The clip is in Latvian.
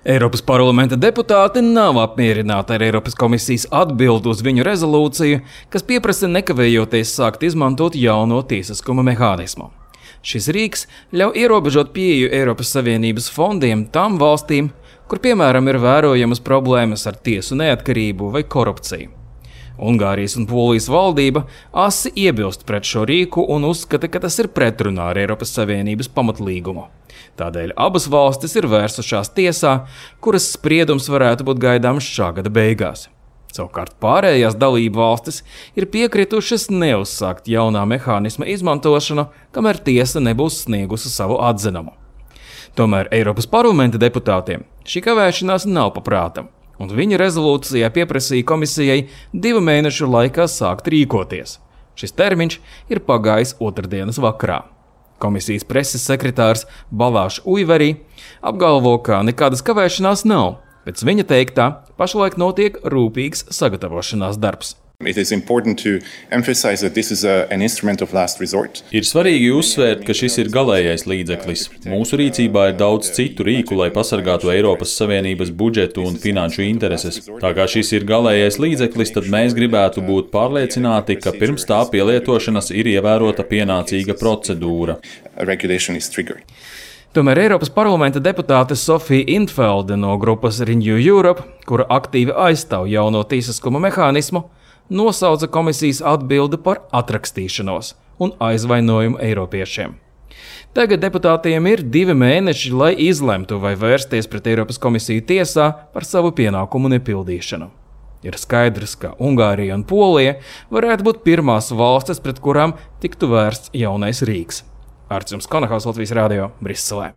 Eiropas parlamenta deputāti nav apmierināti ar Eiropas komisijas atbildi uz viņu rezolūciju, kas pieprasa nekavējoties sākt izmantot jauno tiesiskuma mehānismu. Šis rīks ļauj ierobežot pieeju Eiropas Savienības fondiem tām valstīm, kur piemēram ir vērojamas problēmas ar tiesu neatkarību vai korupciju. Ungārijas un Polijas valdība asi iebilst pret šo rīku un uzskata, ka tas ir pretrunā ar Eiropas Savienības pamatlīgumu. Tādēļ abas valstis ir vērsušās tiesā, kuras spriedums varētu būt gaidāms šā gada beigās. Savukārt pārējās dalību valstis ir piekritušas neuzsākt jaunā mehānisma izmantošanu, kamēr tiesa nebūs sniegusi savu atzinumu. Tomēr Eiropas parlamenta deputātiem šī kavēšanās nav paprātam, un viņa rezolūcijā pieprasīja komisijai 2 mēnešu laikā sākt rīkoties. Šis termiņš ir pagājis otrdienas vakarā. Komisijas preses sekretārs Balāš Uiverī apgalvo, ka nekādas kavēšanās nav. Pēc viņa teiktā, pašlaik notiek rūpīgs sagatavošanās darbs. Ir svarīgi uzsvērt, ka šis ir galējais līdzeklis. Mūsu rīcībā ir daudz citu rīku, lai pasargātu Eiropas Savienības budžetu un finanšu intereses. Tā kā šis ir galējais līdzeklis, tad mēs gribētu būt pārliecināti, ka pirms tā pielietošanas ir ievērota pienācīga procedūra. Tomēr Eiropas parlamenta deputāte Sofija Intvelde no grupas Renew Europe, kura aktīvi aizstāv jauno tiesiskuma mehānismu, nosauca komisijas atbildi par atrakstīšanos un aizvainojumu eiropiešiem. Tagad deputātiem ir 2 mēneši, lai izlemtu, vai vērsties pret Eiropas komisiju tiesā par savu pienākumu nepildīšanu. Ir skaidrs, ka Ungārija un Polija varētu būt pirmās valstis, pret kurām tiktu vērsts jaunais rīks. Arts Konahaus, Latvijas radio, Briselē.